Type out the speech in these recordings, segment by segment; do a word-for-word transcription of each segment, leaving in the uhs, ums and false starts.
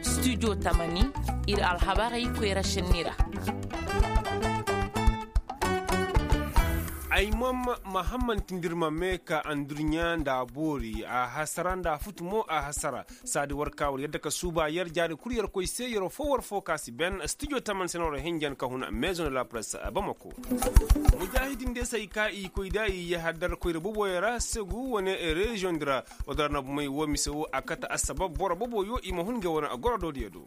Studio tamani, ir alhabarey koyra šenni ra. Ay mam mahamman tindirma me ka andurɲa nda a boori a hasara nda a futu mo a hasara. Saadi war ka war yadda ka suuba yer jaari kul yer koy se yer fo war fo ka si ben studio taman se no ra hinjan ka hun maison de la presse. Bamako. Mujahidin de se ay ka i koy da i yahadar koyra boboyo ra segu wane reziyoŋ di ra. Wadar na bumey wo mise wo a kate assabab boro boboyo i ma hun ga wane goro do diya do.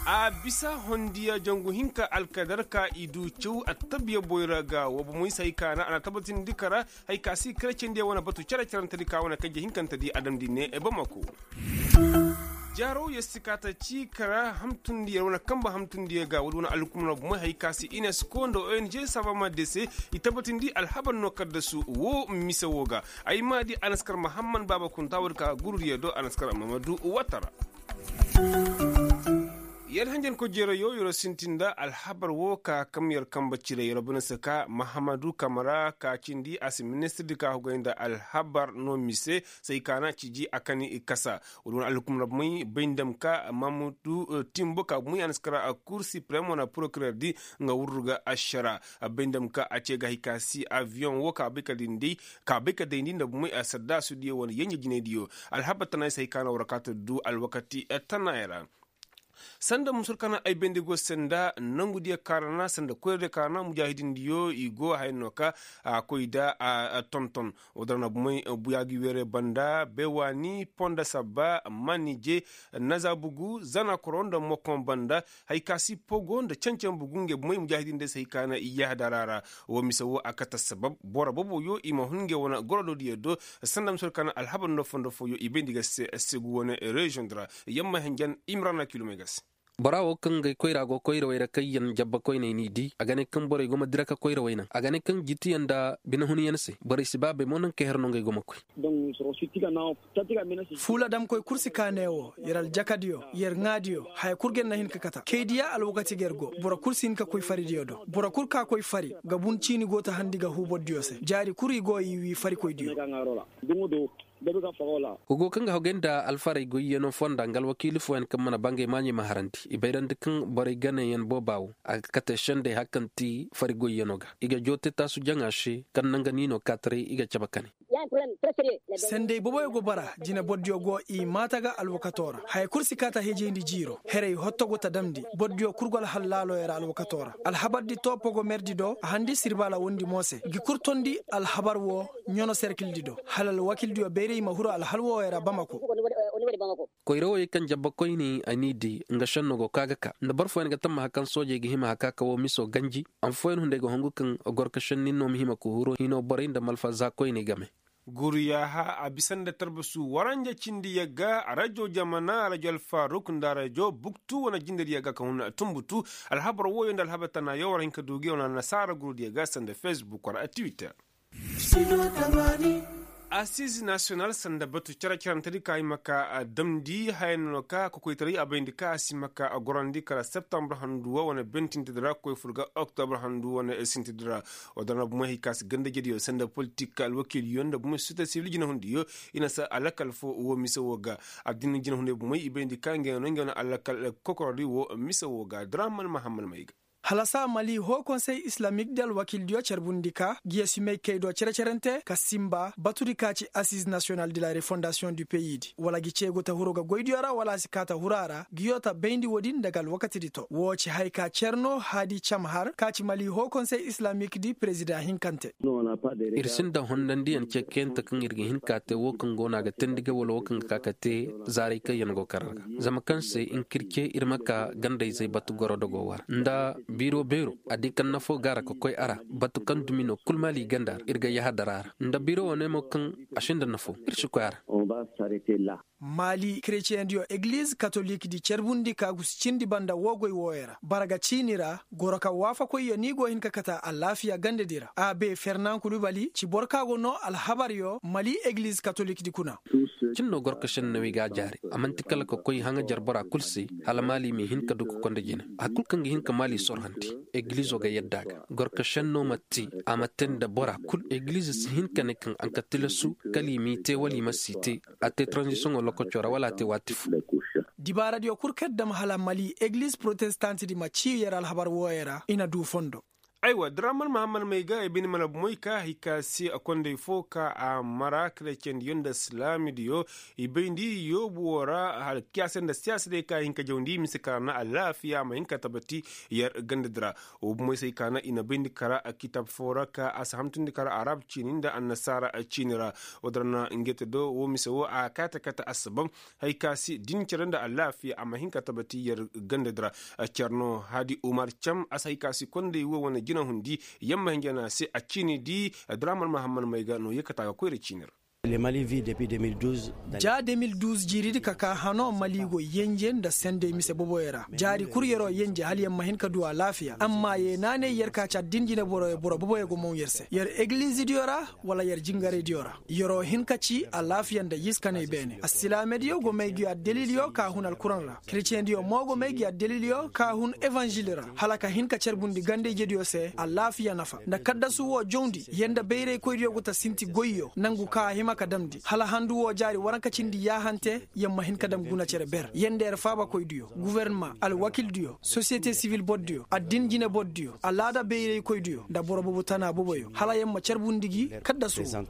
A bisa hondiya jangu hinka alkadar ka i du caw attabiya boyra ga wa bumey se ay ka na a na tabbatindi kara. Hay ka si kerecendiya wane batu cere-cerentedi ka wane kanje hinkantedi adamdi ne bamako. Jaaro yer si kaata ci kara hamtundiya wane kamba hamtundiya ga woodi wane alhukumna bumey hay ka si unesco nda ong sabama de se. I tabbatindi alhabar no kaddasu wo mise wo ga. Ay ma di anaskar mahamman baaba kunta woodi ka gurudiya do anaskar mamadu watara. Yer hanjankoy jeerayo yer sinti nda alhabar wo ka kam yer kamba cire yer bana se ka mahamadu kamara ka cindi a si ministirdi ka hugay nda alhabar no mise. Say ka na ciji a kani kasa. Woodi wane alhukum rabmay bay nda ma ka mamudu timbo ka bumay a na si kara kur siprem wane porokirer di. Nga wurru ga ašara bay nda ma ka a ce ga hay ka si aviyoŋ wo ka bay ka dindi ka bay ka dayndi nda bumay a sadda sudiyo wane yenje jinaydiyo. Alhabar tana ay se hay ka na war kaata du alwakati tana ay ra. Sanda musur kana ay bayndi go senda nangu diya karana sanda koyra diya karana mujahidin diyo i go hayno ka a koy da a tonton. Wadar na bumay buya gi were banda bewani ponda sabba manije naza bugu zana koro nda mokon banda. Hay ka si pogo nda cancan bugu nge bumay mujahidin diya se hay kana i yahda rara. Wo mise wo a kata sabab boro bobo yo i ma hun nge wana gorodo diya do. Sanda musur kana alhabar no fondo fo yo i bayndi ga se segu wane reziyoŋ dira. Yamma henjan imrana kilomay ga se. Bora wo kaŋ ga koyra go koyra wayra kaŋ yaŋ jabba koyney n'i di a ga ne kaŋ borey go ma dira ka koyra waynaŋ a ga ne kaŋ jitiyaŋ nda binahunyaŋ se borey si ba bay mo naŋ ka her no ngey go ma koy. Fuula damkoy kul si ka ne wo yer aljakadiyo yer ŋaadiyo haya kul ga yer na hin ka kata kaydiya alwakati ga yer go boro kul si hin ka koy faridiyo do boro kul ka koy fari ga bun ciini go ta handi ga huu bordiyo se jaari kul i go i wi farikoydiyo. Hugo kaŋ ga hogay nda alfarey goyyaŋo fonda nga alwakiili fooyaŋ kaŋ mana bangay maaɲey ma harandi i bayrandi kaŋ borey ganayaŋ booba wo a ga kate sendey hari kaŋ ti fari goyyaŋo ga i ga joo te taasu jaŋa se kaŋ naŋ ga niino kaataray i ga cabe kane. Sendey booboyo go bara jine bordiyo go i maata ga alwakato ra haya kul si kaata hejayndi jiiro herey hotto go ta damndi bordiyo kul go alhal laaloyo ra alwakato ra alhabardi to pogomerdi do a handi sirbaala wondi mo se gi kul tondi alhabar wo ɲono serkildi do hala alwakildiyo bayray ma huru alhal wooyo ra bamako. Koyra wooyo kaŋ jabba koyne a n'i di nga šenno go ka ga ka nda boro fooyaŋ ga tammaha kaŋ soojey ga hima haka ka woo miso ganji. Amma fooyaŋ hunday ga hongu kaŋ goro ka šenni no ma hima ka huru hino borey nda malfa za koyney game. Guru yaaha a bisa nda tarbasu waranja cindi yagga rajo jamana rajo alfaruk nda rajo buktu wane jindedi yagga ka hun tumbutu. Alhabar wooyo nda alhabar tana yo war hin ka du gi wane nasaara guru diya ga sanda facebook war a twitter. Asiz nasiyonal sanda batu care carantedi ka i ma ka damndi haya no ka kokoytaray a bayndi ka a si ma ka gorandi kala septambur handuwa wane bentintedi ra koy fur ga oktobur handuwa wane sintedi ra. Wadana bumey hay ka si gandajediyo sanda politik alwakiiliyo nda bumey sosiyete sibil jinahundiyo i na sa alakal fo wo mise wo ga. Addina jinahundiyo bumey i bayndi ka nge no nge no alakal kokorodi wo mise wo ga draman mahamman may ga. Halasa mali hoo konsey islamik di alwakiildiyo carbundi ka giya simey kay do cere-cerente ka simba batudi ka ci asiz nasiyonal de la refondasiyoŋ du peyi di wala gi cey go ta huru ga goydiyo ra wala a si kaa ta huru a ra giyo ta bayndi woodin nda ga alwakatidi to woo ci haya ka cer no haadi cam har ka ci mali hoo konsey islamik di perezidaŋ hinkante. Ir sinda hondandiyaŋ cekeyante kaŋ ir ga hin ka te woo kaŋ go no a ga teendi ga wala woo kaŋ ga ka ka te zaaray kaŋ yaŋ go kar ra zama kaŋ se nkirce ir ma ka gandayzey batu goro dogo war nda biiro beero a di kaŋ nafo ga ra ka koy a ra batu kaŋ dumi no kul maali ganda ra ir ga yahadar a ra nda biiro wane mo kaŋ a sinda nafo ir si koy a ra. Mali kereceyendiyo egiliz katolikdi carbundi ka gusi cindi banda woo goy wooyo ra bara ga ciini ra goro ka waafakoyyo ni go hin ka kate alaafiya gandedi ra a be fernan kulubali ci boro ka go noo alhabaryo mali egiliz katolikdi kuna. Cin no goro ka šennawey ga a jaari a man'ti kala ka koy haŋajer bora kul se hala mali m'i hin ka du ka konda jine. Hari kul kaŋ ga hin ka mali sorhandi egilizo ga yadda a ga goro ka šenno ma te a ma te nda bora kul egilizo si hin ka ne kaŋ a nka tilasu kala i m'i te wala i ma si te. A te taranzisiyoŋo lokoco ra wala a te waati fo. Dibaaradiyo kul kaŋ dam hala mali egiliz protestantedi ma cii yer alhabar wooyo ra i na du fondo. Aywa draman mahammad may ga ay bine mana bomoy ka hay ka se a konday fo ka a mara kerecendiyo nda silaamidiyo i bayndi yoobu woo ra hala kiyaase nda siyaasa day ka hin ka jawndi mise kara na alaafiya a ma hin ka tabati yer gandadi ra. Woo bomoy se hay ka na i na bayndi kara kitab foo ra ka a si hamtundi kara arab ciini nda annasaara ciini ra. Woo din ra na ngey te do woo mise woo a kaate kate assabab hay ka se din cere nda alaafiya a ma hin ka tabati yer gandadi ra. Cer no hadi umar cam a si hay ka se konday woo wane jinahundi yamma hinja no a se a ciinidi. Draman mahammad may ga no yee kate a ga koyra ciini ra. Ja de mil duuz jiiridi ka kaa hano mali go yenje nda sendey mise boboyo ra jaari kul yer'o yenje hala yer ma hin ka du alaafiya amma yee naanay yer ka ci addin jineboroyo boro boboyo go moŋ yer se yer egilizidiyo ra wala yer jingaraydiyo ra. Yer'o hin ka ci alaafiya nda yiskaney beene assilaamediyo go may gi addalilyo ka hun alkuraŋ ra kereceyendiyo mo go may gi addalilyo ka hun evanžil ra hala ka hin ka carbundi ganda-ijediyo se alaafiya nafa nda kaddasu woo jawndi yer nda bayraykoydiyo go ta sinti goyyo nangu ka a hima ka damndi hala handu woo jaari waranka cindi yaahante yer ma hin ka dam guna cere ber yer nda yer faabakoydiyo gufornama alwakildiyo sosiyete sivil bordiyo addin jinebordiyo alaada bayraykoydiyo nda boro boobo tana booboyo hala yer ma carbundi gi kaddasu woo.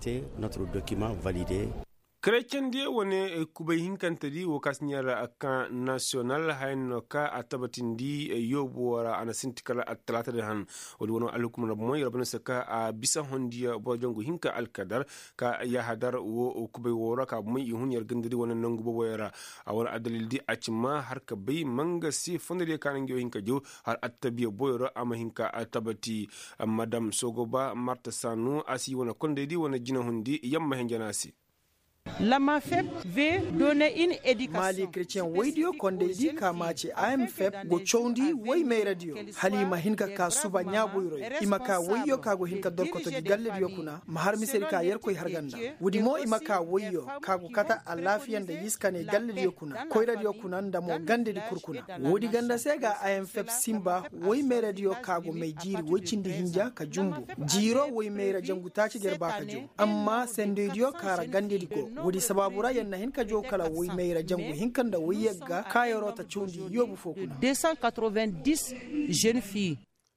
Kerecendiyo wane kubay hinkantedi woo ka si ɲaŋ ra kan nasiyonal haya no ka a tabatindi yoobu woo ra a na sinti kala attalaatadi han. Woodi wane alhukumar bomoy rabbi no se ka a bisa hondiyo boro jangu hinka alkadar ka yahadar woo kubay woo ra ka bomoy i hun yer gandadi wane nangu booboyo ra. A wane addalildi a ci ma har ka bay mangasi fondodiyo ka na nga yoo hinka jaw har attabiya boyro a ma hin ka tabati. Madam sogoba marta sanu a si wane kondaydi wane jinahundi yamma hinja no a se. Maali kretiyeŋ woydiyo kondaydi ka maaci a m fep go cawndi woy mayradiyo hala i ma hin ka kaa suba ɲaaboyroyo i ma kaa woyyo ka go hin ka dorkoto gi gallediyo kuna ma har misedi ka yerkoy har ga nda. Woodi mo i ma kaa woyyo ka go kate alaafiya nda yiskaney gallediyo kuna koyradiyo kuna nda mo gandedi kul kuna. Woodi ganda se ga a m fep sinba woy mayradiyo ka go may jiiri woy cindi hinja ka jumbu jiiro woy mayra jangu taaci ga yer ba ka jaw. Amma sendoydiyo ka ra gandedi go woodi sabaabu ra yer na hin ka jaw kala woy mayra jangu hinka nda woy yagga ka yer'o ta cawndi yoobu fo kuna.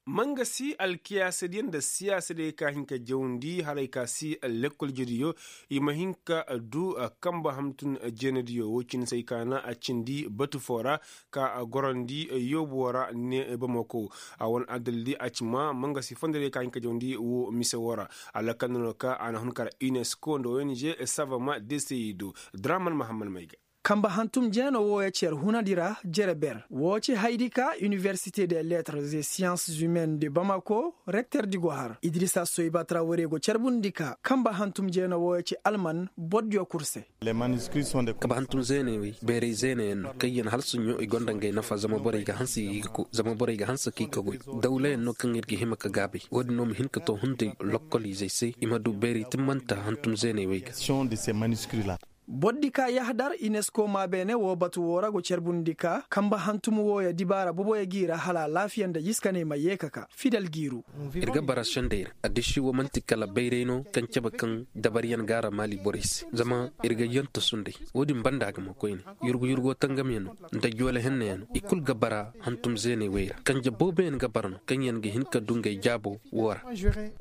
Mangasi alkiyaasadiyo nda siyaasadiyey ka hin ka jawndi haray ka si lekkol jediyo i ma hin ka du kamba hamtun jeenadiyo wo cindi se ay ka na a cindi batu foo ra ka gorandi yoobu woo ra ne bamako. A wane addalildi a ci ma mangasi fondodiyo ka hin ka jawndi wo mise woo ra. Alakanda no ka a na hun kara unesco nda ong savama desey do draman mahamman may ga. Kamba hantum jeeno wooyo cer hunadi ra jere ber woo ci haydi ka iniwersite de lettres et siyanses humaines de bamako rekterdi go har idrisa soyba traware go carbundi ka kamba hantum jeeno wooyo ci alman bordiyo kul se. Kamba hantum zeeney wey bayray zeeney yaŋ no kaŋ yaŋ hala suɲɲo i gonda ngey nafa zama borey ga hanse i ga ko zama borey ga hanse ka i ka goy. Dawla yaŋ no kaŋ ir ga hima ka gaabay woodin no ma hin ka to hunday lokkol izey se i ma du bayray timmanta hantum zeeney wey ga. Bordi ka yahdar inesko maa beene woo batu woo ra go carbundi ka kamba hantum wooyo dibaara boboyo g'i ra hala alaafiya nda yiskaney ma yee ka ka fidal g'i ru. Ir ga bara sendey ra addiši woo man'ti kala bayray no kaŋ cabe kaŋ dabaryaŋ g'a ra maali borey se zama ir ga yanta sunday. Woodin banda ga ma koyne yurgu yurgo tangamyaŋ no nda joole hennayaŋ no i kul ga bara hantum zeeney wey ra kanje booboyaŋ ga bara no kaŋ yaŋ ga hin ka du ngey jaabo woo ra.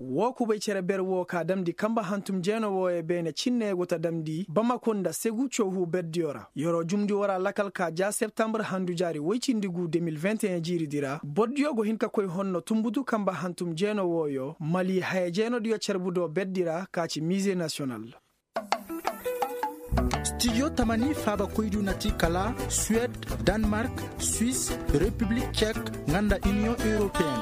Woo kubay cere ber woo ka damndi kamba hantum jeeno wooyo beene cinne go ta damndi bamako nda segu coohu berdiyo ra yer'o jumndi woo ra lakal ka ja septambur handu jaari woy cindi gu de mil vingt et un jiiridi ra bordiyo go hin ka koy honno tunbutu kamba hantum jeeno wooyo mali haya jeenodiyo carbudo berdi ra ka ci mize nasiyonal. Stijo tamani faabakoydiyo na ti kala suwed, danmark, swis, repiblik cek, nga nda iniyoŋ europeen.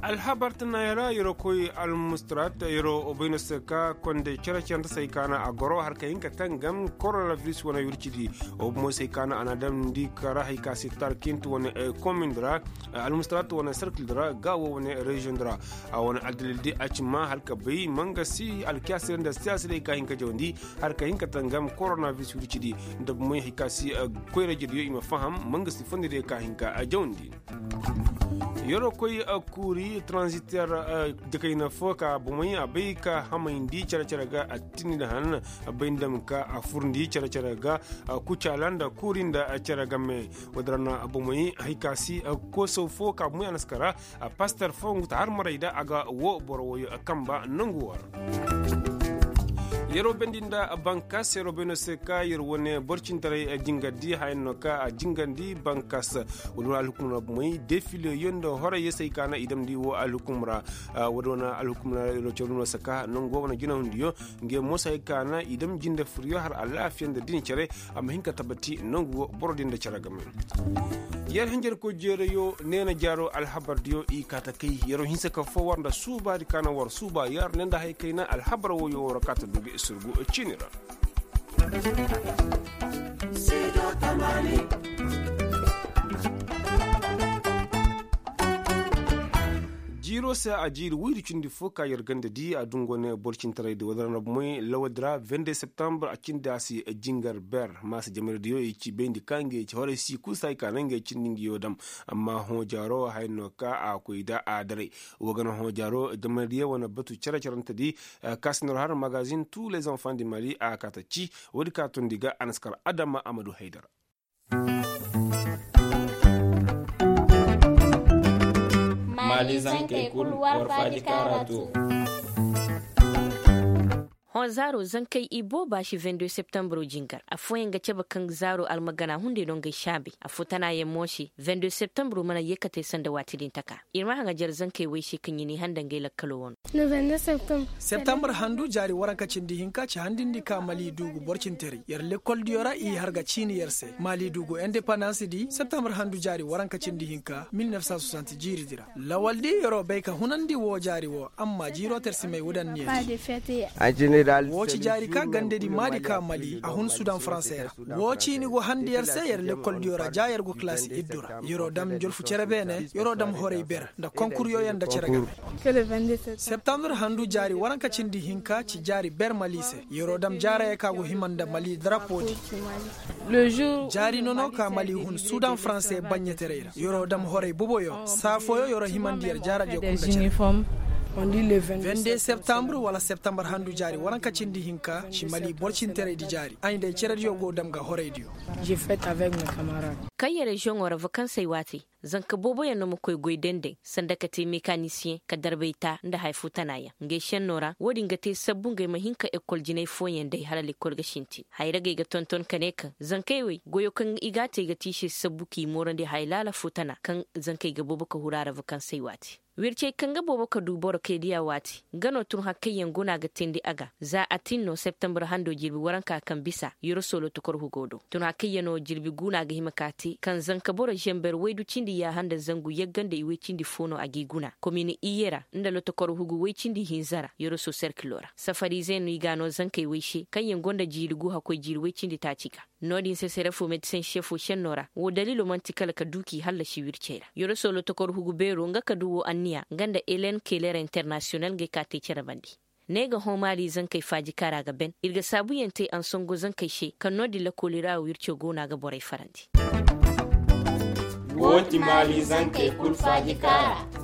Alhabar tana yara yeroo koy almustarat yeroo bayno se ka konde cere-cere nda se ay kaana a goro har ka hin ka tangam koronabiris wane wircidi. Wo bomo se ay kaana a na damndi kara hay ka se tarkint wane komindi ra, almustarat wane serkil di ra ga wo wane reziyoŋ di ra. A wane aldalil di a ci ma har ka bay mangasi alkiyasir nda siyaasa day ka hin ka jawandi har ka hin ka tangam koronabiris wircidi. Nda bomoy hay ka se koyra jediyo i ma faham mangasi fondi day ka hin ka jawandi. Yeroo koy kuuri tranziter jakayna fo ka bomey a bay ka hamayndi cere-cere ga a tinni nda han. Bay nda ma ka a furndi cere-cere ga kucaala nda kuuri nda cere game. Woodin ra na bomey hay ka si kosow fo ka bomey a na si kara. Paster fo ngu ta har maray da a ga wo boro woyo kamba nangu war. Yeroo bendi nda bankas yeroo bayno se ka yer wane borcintaray jingardi haya no ka a jingarndi bankas. Wala wala alhukum ra bomey defile yo nda horay yesey ka na i damndi wo alhukum ra. Wala wane alhukum ra yer wo cere no se ka nangu wo wane jinahundiyo. Nge mo se hay ka na i dam jinde furyo har alaafiya nda din cere. A ma hin ka tabati nangu wo boro din nda cere game. Yer hinjarkoy jeerayo neena jaaro alhabardiyo i kaa ta kay yeroo hinsa ka fo war nda suubaadi ka na war suuba yer ne nda hay kayna alhabar woyo war kaa ta du ga i surgu ciini ra. Jiiroo se a jiiri woydi cindi fo ka yer ganda di a dungo ne boro cintaray di wala ra na bomey lawaldi ra vende septambur a cindi a si jingar ber maasa jamaraydiyo i ci bayndi ka ngey ci horay si kul se hay ka na ngey cindi ngiyo dam. Amma hõ jaaro haya no ka a koy da a daray. Wo ga na hõ jaaro jamaraydiyo wane batu cere-cerante di. Ka si nor har magazin tu les enfants di mali a kaa ta ci. Woodi ka tondi ga a na si kar adama amadu haydara. Maali zankey kul war faaji kaara to. Hõ zaaro zankey i booba si vende septambro jingar affooyaŋ ga cabe kaŋ zaaro almagana hunday no ngey saabey affoo tanaayaŋ mo se vende septambro mana yeekatey sanda waati din taka. Ir ma haŋajer zankey wey se kaŋ i n'i handa ngey lakkalo wano. Septambur handu jaari waranka cindi hinka ci handindi ka mali duugu borcintaray yer lekoldiyo ra i har ga ciini yer se mali duugu indepandans di septambur handu jaari waranka cindi hinka mil nef san soixante jiiri di ra. Lawal di yeroo bay ka hunandi woo jaari woo amma jiiroo tersimey wudanniya di. Woo ci jaari ka gandedi maadi ka mali a hun sudan faransey ra. Woo ciini go handi yer se yer lekoldiyo ra ja yer go kalaasi iddu ra yeroo dam njolfu cere beene yeroo dam horey ber nda konkuryoyaŋ nda cere game. Septambur handu jaari waranka cindi hinka ci jaari ber mali se yeroo dam jaarayey ka go hima nda mali darapo di. Jaari nono ka mali hun sudan faranse baɲɲataray ra yeroo dam horay boboyo saa fooyo yeroo himandi yer jaaradiyo kul nda cere. Vende septambur wala septambur handu jaari waranka cindi hinka ci mali borcintaraydi jaari ay nda ay cerediyo go dam ga horaydiyo. Kaŋ yer reziyoŋo ra vakansey waati zanka booboyaŋ no ma koy goy denday sanda ka te mekanisiyeŋ ka darbay taa nda haya foo tanaayaŋ ngey šennoo ra woo din ga te sabbu ngey ma hin ka ekol jinay fooyaŋ day hala lekol ga sintin haya ra gay ga tonton ka ne kaŋ zankey wey goyo kaŋ i g'a te ga te i se sabbu k'i moorandi haya laala foo tana kaŋ zankey ga boobo ka huru a ra vakansey waati. Wircey kaŋ ga boobo ka du boro kay diya waati nga no tun hakkayyaŋ guna ga teendi a ga za a tin no septambur hando jirbi waranka kaŋ bisa yoroso lotokor hugo do tun hakkayyaŋo jirbi guna ga hima ka te kaŋ zanka boro zember waydu cindi yaaha nda zangu yagga nda iway cindi fo no a g'i guna komin iyye ra nda lotokor hugu way cindi hinza ra yoroso serkilo ra safarize no i ga no zankey way se kaŋyaŋ gonda jiiri gu hakkoy jiiri way cindi taaci ga. No-din se sere fo medisen šefo šenno ra woo daliilo man'ti kala ka duu k'i hallasi wircey ra yoroso lotokor hugu beero nga ka duu woo anniya nga nda elen keler internasiyonal ngey ka tee cere bande. Ne ga hõ maali zankey faaji kaara ga ben ir ga saabuyaŋ tee ansongo zankey se kaŋ no-din lakooli ra wirco go no a ga borey farandi. Woo ti maali zankey kul faaji kaara.